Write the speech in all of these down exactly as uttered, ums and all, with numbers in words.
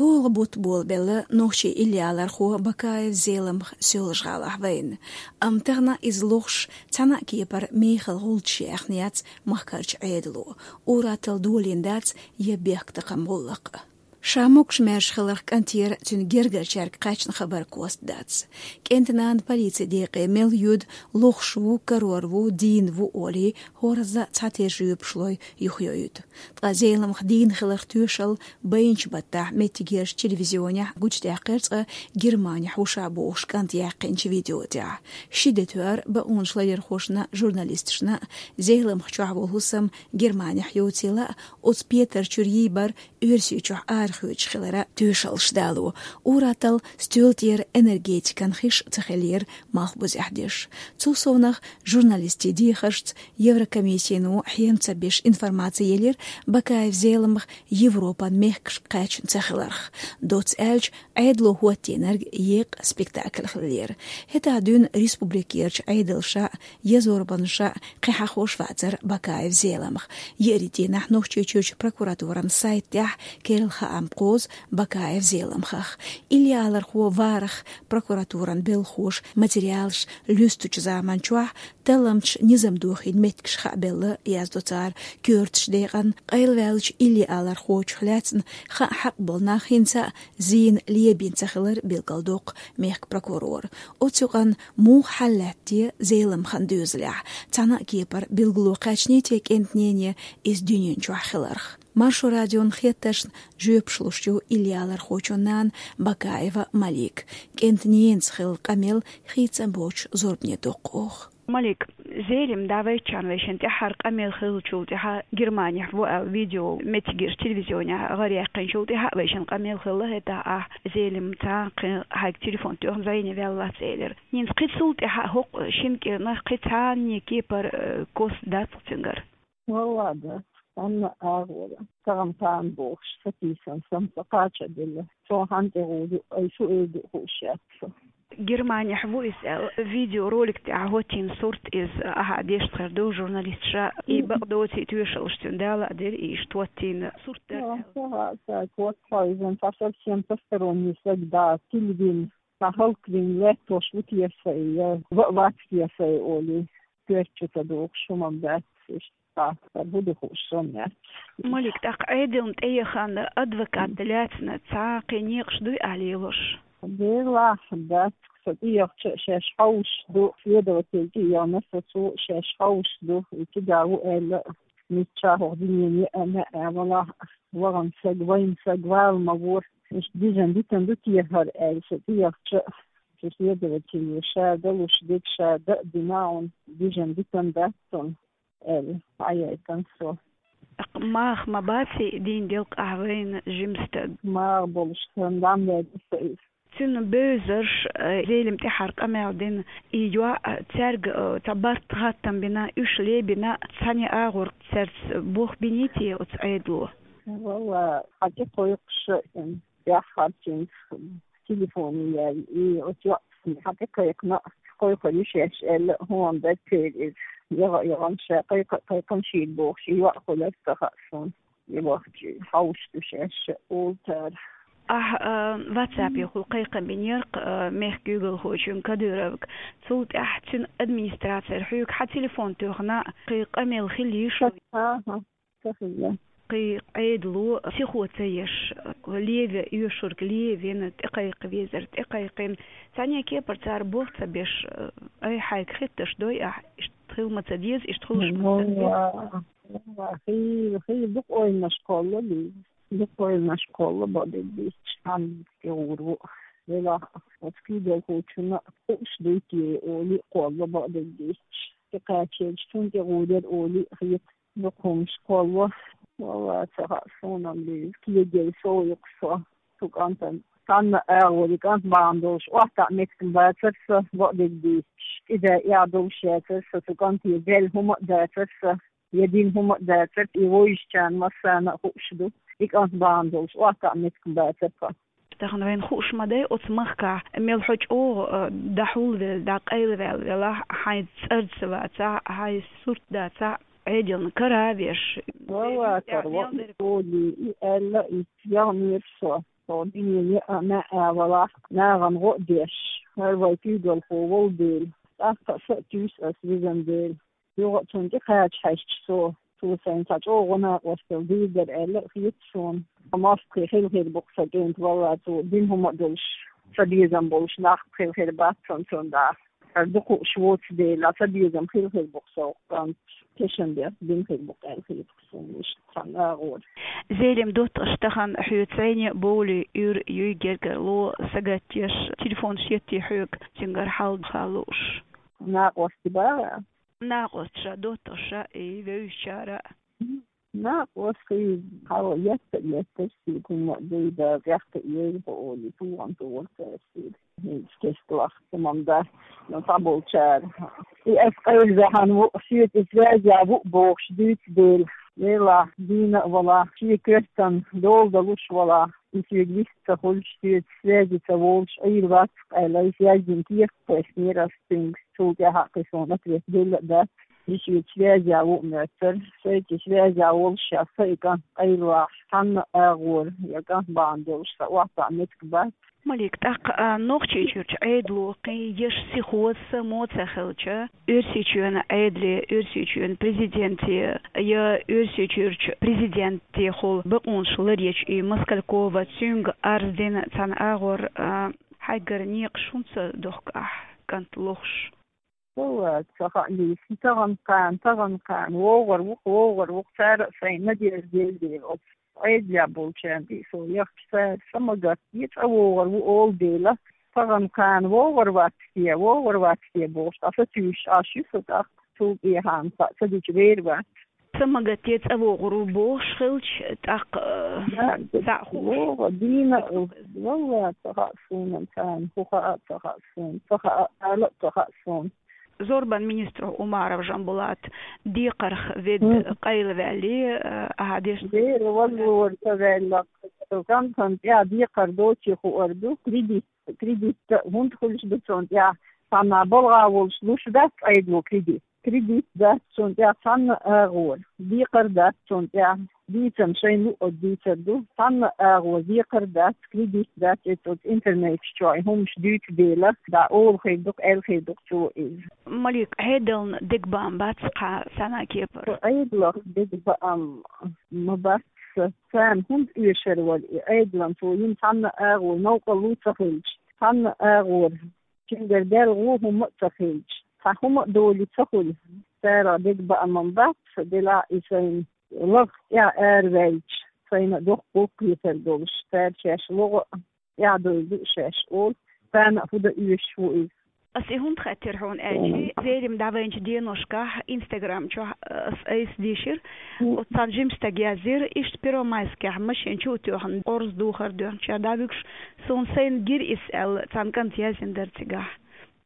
Ола бутт болабелла нохчийн иллиалархо Бакаев Зеламха Соьлжа-ГӀалахь вайна. Амма тахана иза лохуш цхьана а кепара мехала гӀулчаш яьхна яц махкарчу Ӏедало. Ур-атталла долийна дац я бехктакхаман гӀуллакх. Ша могуш-маьрша хиларх кӀантера цуьнан гергарчаьрга кхаьчна хабар кост дац. КӀентан нана полицин декъе мел йоьду, лохуш ву, карор ву, дийна ву олий, хӀорзза цхьатерра жоьпаш лой, юхайойту. Ткъа Зеламха дийна хиларх тоьшалла байначу баттахь меттигерчу телевизионехь гучудаьккхира цкъа Германехь ву ша бохуш кӀант яьккхинчу видео тӀехь. Ши де тоьар бакъонашларъярхошна, журналисташна, Зеламха чохь волу хӀусам Германехь йоцийла а, оцу петар чуьра йийбар Оьрсийчохь арахоьцуш хиларан тоьшаллаш дало. Ур-атталла стоьла тӀера энергетикан хиш ца хиллера малхбузехь деш. Цул совнаха журналистийн дехаршца Еврокомиссино хьем ца беш информаци елира Бакаев Зеламха Европан мехкашка кхаьчна ца хиларх. Доцца аьлча, Ӏедало хӀоттийнарг еккъа спектакль хиллера. ХӀетахь дуьйна республикерчу Ӏедалша а, езорбанша а кхин хьахош вацара Бакаев Зеламха. Еарин дийнахь Нохчийчуьрчу прокуратуран сайта тӀехь керла хаам кхозу Бакаев Зеламхах. Иллиалархо варах прокуратуран белхахоша материалаш луьстучу заман чохь талламчаш низам дохийна меттигаш хаабелла, яздо цара, коьртачу декъана къайлаваьллачу иллиалархочух лаьцна хаа хьакъ болу нах хӀинца а зийна лебина ца хилар билгалдоккху мехкан прокурора. Оцу юкъанна муха хьал лаьтта те Зеламхан доьзалехь? Цхьана а кепара билгало кхаьчний те кӀентан нене иза дуьнен чохь хиларх? Маршо радион хеттаршна жоьпаш луш ю иллиалархочун нана Бакаева Малика. КӀентан ненца хилла къамел хийца а боцуш зорбане доккху оха. Малик, Зелим дӀавайччан вайшинна тӀаьххьара къамел хиллачул тӀаьхьа, Германехь ву аьлла видео меттигерчу телевизионехь гӀар яьккхинчул тӀаьхьа вайшинна къамел хилла, хӀетахь ахь Зелим цхьаьна кхин хьайга телефон тоьхна зӀене ваьлла вац элира. ХӀинца кхин цул тӀаьхьа хӀокху шина кӀирнах кхин цхьанне кепара, э, кост дац цуьнгара? Валла, дац, цхьанна а агӀора. Тахана-тахана бохуш, сатийсам сан ца кхача а делла. Цо хьанна тӀе гӀур ду, ай шу эр ду хууш яц со. Германехь ву иза аьлла, видеоролик тӀехь хӀоттийна сурт иза, ахьа дешна хир ду журналисташа, и бакъдоций тоьшаллаш цуьнан дала а дира, и иштта хӀоттийна сурт дара аьлла. Ага, ца хӀотта хьо изан цхьа совсем посторонний стаг да, тилвин, цхьа хӀаллаквин лаьттош ву те сай, я ва-, вац те сай олий, коьрта чу ца дохуш хӀума бац, иштта. Цхьацца хӀун ду хууш сон яц. Малик, тӀаккха Ӏедална тӀеяхана адвокат лаьцна цхьа кхин некъаш дуй ахь лелош? Делахь дац, со тӀеяхча а шаьш хьовш ду, следователь тӀеяхна со, цо шаьш хьовш ду, и кида ву аьлла, мичча хӀокху дуьненан еана а валахь, вахана саг, вайна саг вала ма вора, иштта бижан дитан ду те хӀара аьлла, со тӀеяхча а, цу следователе ша далуш дерг ша дан а дина, хьуна бижан дитан дац цунна. Аьлла, хьаяйтана со. Маха ма баций дийна делкъахь вайна жима стаг? Маха болуш сан дам ваьлла со иза. Цуьнан бевзарш, э, Зелим тӀаьххьара къамел дина, и йоӀ, э, цаьрга, э, цхьа барт-хаттам бина, уьш лебина, цхьанне агӀор цаьрца болх биний те оцу Ӏедало? Валла, хьан тӀе кхойкхуш а, яххьарчуьнца телефоне яьлла, и оцу йоӀ хьан тӀе кхайкхина, кхойкхур ю шаьш аьлла, хӀума дац церан иза. Яха а яхана, ша кхайкха а кхайкхина, шега бохуш, и йоӀ хуьлура ца хаьа суна. И вахча хьовш ду шаьш а, олу цара. Ахьа, а, WhatsApp-ехула кхайкхам бинера-кх, а, мехкан куьйгалхочуьнга Кадыровга. Цул тӀаьхьа цуьнан администрацера хьоьга хьан телефон тоьхна, кхин къамел хилла йиш ю? Ага. Ца хилла. Кхин Ӏедало сихо ца еш, леве оьшург левина, тӀекхайкха везар тӀекхайкхина, цхьанне кепара цара болх ца беш, ай, хьайга хеттарш дой ахь, иштта хила ма ца деза, иштта хуьлуш ма ца деза? Валла, валла, хийла, хийла дукха ойланаш кхолла, Лиза. Дукха ойланаш кхолла, бакъдерг дийцича, хьанна тӀе гӀур ву. Делахь оцу куьйгалхочунна хууш дуй те олий а кхолла, бакъдерг дийцича. ТӀекхачийча цунна тӀе гӀур яра олий а хета. Дукха хӀумнаш кхолло. Валла, ца хаьа суна-м, Лиза, кегий сов ю-кх со. Цу кӀантана цхьанна а агӀор, и кӀант бахьана долуш охьатаӀа меттиг бацара сан, бакъдерг дийцича. КӀида эхь долуш яцара сан, цу кӀанте даьлла хӀума а дацара сан, я дина хӀума а дацара, и вовзачарна массарна а хууш ду. И кӀант бахьана долуш охьатаӀа меттиг бацара сан. Тахана вайна хууш ма дай оцу махкахь, мел хьо чӀогӀа, а, дӀахьулвелла, дӀакъайлаваьлла велахь, хьайн цӀарца вацахь, хьайн сурт дацахь, Ӏедална кара а веш. Валла, кара вац, и аьлла, и яханера со. Со дийне а маьӀӀа валахь, нахана гӀо а деш, хӀара вай куьйгалхо волу дела, тӀаккха а са а туьйсу ас везан дела. Юха а цунна тӀекхача хьаьжча со, цо сайна цхьа чӀогӀа накъосталла дийр дара аьлла а хета суна. МостагӀий хила хир бу-кх сан кӀентан, валлахӀи, цо дина хӀума а долуш, сан безам болуш нах хила хир бац сан цунна дӀа. ХӀара дукха уьш воцу дела, сан безам хила хир бу-кх сан кӀант, тешан дерг дина хир бу-кх аьлла хета суна иштта цхьана агӀора. Зелим, доттагӀаш, тахана хьоьца цӀайне а бовлий, уьйр юй гергарло, сагатдеш, телефонаш етта хьоьга, цуьнгара хьал-ха лууш? Накъостий бара? Накъосташа, доттагӀаша и вевзачара а. Накъостий хьал етта а еттара соьга, хӀума а дуй, да, тӀехь а тӀеэцна хьо олий, тухана тухура цара соьга. ХӀинца кестта лахка хӀума дац, но цхьаболчара и ас къайла ваьхьана ву, соьца и связь а ву бохуш дуьйцу дела. Делахь, дийна а валахь, шен коьртана дола далуш валахь, и соьга вист ца хуьлуш, соьца связи ца волуш Ӏийр вац-кх аьлла, и связь дина кехат кхоьссинера ас цуьнга. Цул тӀаьхьа кхин суна ответ делла а дац. И соьца связь а ву а моьттура. Сайца связь а волуш, ша, сан и кӀант къайлавахь, цхьанна а агӀора я кӀант бахьана долуш сан охьатаӀа меттиг бац. Малик, тӀаккха а Нохчийчуьрчу Ӏедало кхин еш сихоза, само ца хилча, Оьрсийчоьнан Ӏедале, Оьрсийчоьнан президенте я Оьрсийчуьрчу президентехула бакъонаш ларъечу и Москалькова, цуьнга арз дина цхьана агӀор, а, хьайгара некъаш хӀунда ца дохку ахь, кӀант лохуш? Валлахьи, ца хаьа, Лиса, тахана-кхана, тахана-кхана, вогӀур ву-кх, вогӀур ву-кх, цара а сайна надежда елла дела оцу Ӏедалехь болчарна тӀе со яхча, цара са ма гатде, цӀа вогӀур ву олу дела, тахана-кхана вогӀур вац те, вогӀур вац те бохуш, ткъа сатуьйсуш Ӏаш ю со тӀаккха, цул тӀехьа-м хаьа ца дича вер вац. Са ма гатде, цӀа вогӀур ву бохуш хилча, тӀаккха, э, Да, цхьаъ хууш. ВогӀу, дийна а, валлахьи, ца хаьа суна царна, хӀун хаьа а ца хаьа суна, ца хаьа, ала а ца хаьа суна. Зорбан министро Умаров Жамбулат декхарх ведда Мгм. къайлаваьллий, э, ахьа дешна? Дера валлора ца ваьлла, цхьана тӀехь декхар доций хуур ду, кредит, кредит хӀунда хуьлуш ду цунна тӀехь, цхьанна балха волуш луш дац Ӏедало кредит. Кредит дац цунна тӀехь цхьанна а агӀора, декхар дац цунна тӀехь, дийцам шайна луъург дийцар ду, цхьанна а агӀора декхар дац, кредит дац, эцу интернеташ чохь и хӀумаш дуьйцу дела, дӀа олу хир ду-кх, аьлла хир ду-кх цо иза. Малик, Ӏедална дегабаам бац-кх цхьана кепара? Со Ӏедалах дегабаам ма бац сан. Царна хӀунда оьшур вара и Ӏедална, цо йина цхьанна а агӀора новкъарло ца хилча, цхьанна а агӀора цуьнгара даьлла вон хӀума а ца хилча, цхьа хӀума а долий ца хуьлу, царах дегабаам бац, делахь и сайна лахах тӀехь араваьлча, сайна доккха гӀуллакх хетар долуш, цара шаьш логӀа а тӀехь довла ду шаьш олу, царна а хӀун дан оьшуш ву иза. Ас и хӀунда хаьттира хьуна аьлча, Зелим, дӀавайначу деношкахь Instagram чохь, э, ас айса дийшира, оцу цхьана жима стага яздира, иштта Первомайскехь машен чу а тоьхна, орца духар доьхначара дӀавуьгуш, суна сайна гира иза аьлла, цхьана кӀанта яздина дара цигахь.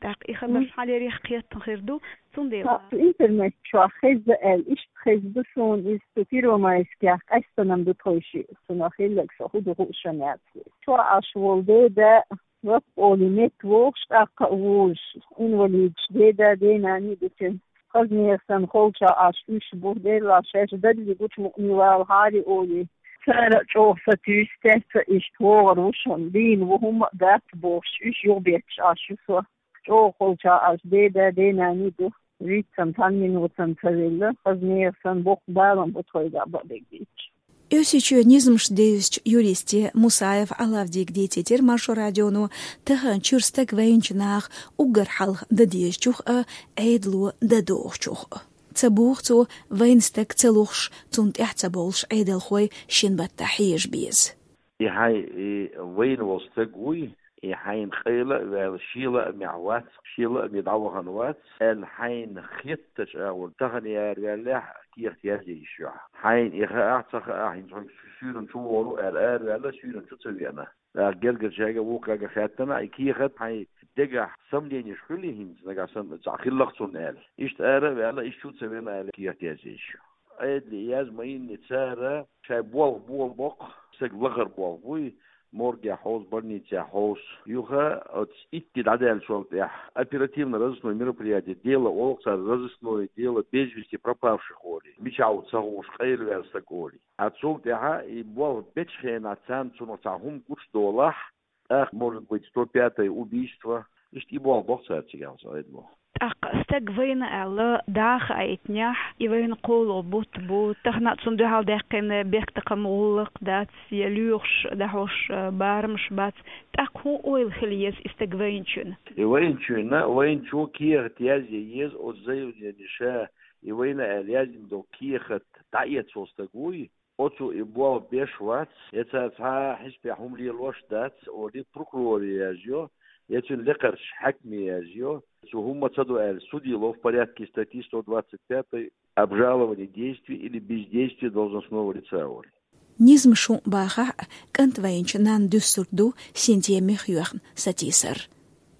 ТӀаккха и хабарш хьалерехь кхеттина хир ду, цундела. Цу интернет чохь хезна аьлла, иштта хезна ду суна иза, цу Первомайскехь къаьстина-м ду тхойшиъ, цунах хилларг со хӀун ду хууш а яц. Чохь Ӏаш волу деда, вац олий, метта вогӀуш, тӀаккха а вожуш, инвалидаш деда, денаний а ду цуьнан. Хаза нехан санна холчахь Ӏаш уьш бу, делахь шаьш дадли гучу мукъане валахьара олий, цара а чӀогӀа сатуьйсу, тесса иштта вогӀур ву шуна, дийна ву, хӀумма а дац бохуш, уьш юхабетташ Ӏаш ю со. ЧӀогӀа холчахь Ӏаш деда, денаний а ду. Виц-м цхьана минот-м ца велла, хаза нехан санна боккха балам бу тхойгахь бакъдерг дийцча. Оьрсийчоьнан низамаш девзачу юристе Мусаев Ӏалавдига дийцийтира Маршо радионо тахана чуьра стаг вайначу наха уггар хьалха дан дезачух а, Ӏедало дан догӀучух а. Ца боху цо, вайна стаг ца лохуш, цунна тӀаьхьа ца бовлуш Ӏедалхой шина баттахь хьежа беза. И хьайн, и вайна волу стаг вуй, и хьайна къайла а ваьлла, шен лаамехь вац, шен лааме дӀавахана вац, аьлла хьайна хеттачу агӀор тахана араваьллехь, кехат язъе йиш ю хьан. Хьайна и хаахь, ца хаахь, хӀинца хьо суьйранна чу вогӀур ву аьлла араваьлла, суьйранна чу ца веана. ТӀаккха гергарчаьрга, вукхаьрга хаьттина, и кехат хьайн дегахь сомненеш хуьлий хӀинца, нагахь санна цхьаъ хилла-кх цунна аьлла. Иштта ара а ваьлла, иштта чу ца веана аьлла, кехат язъе йиш ю. Ӏедале язъян ма йинний цара, шайн болх болу боккха, стаг лахара болх буй, морге хьовз, больнице хьовз. Юха оц итти дӀадаьллачул тӀехьа оперативно-розыскное мероприятие, дело, олу цара розыскное дело без вести пропавших олий. Мичахь ву ца хууш, къайлаваьлла стаг олий. А цул тӀехьа и болх бечу хенахь царна цунах цхьа хӀума гучудолахь, тӀаккха, может быть, сто пятое убийство. Иштта и болх бо-кх цара цигахь, ца айдало. ТӀаккха стаг вайна аьлла, даха айтнехь, и вайна кхоалгӀа бутт бу, тахана цунна дуьхьал даьккхина бехктакхаман гӀуллакх дац, я лоьхуш дӀахьош барамаш бац. ТӀаккха хӀун ойла хила еза и стаг вайначунна? И вайначунна, вайначо кехат язъе еза оцу заявлени ша, и вайна аьлла яздина долу кехат дӀаэцна волу стаг вуй, оцо и болх беш вац, я цара цхьа а хьисапехь хӀума лелош дац олий, прокуроре язйо, я цуьнан лекхарчу хьаькаме язйо. Цо хӀумма ца до аьлла, судило в порядке статьи сто двадцать пятой обжалование действий или бездействия должностного лица олий. Низамаш хӀун бахахь а, кӀант вайначу нанна дуьсург ду синтеме хьоьхна сатийсар.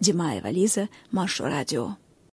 Димаева Лиза, Маршо радио.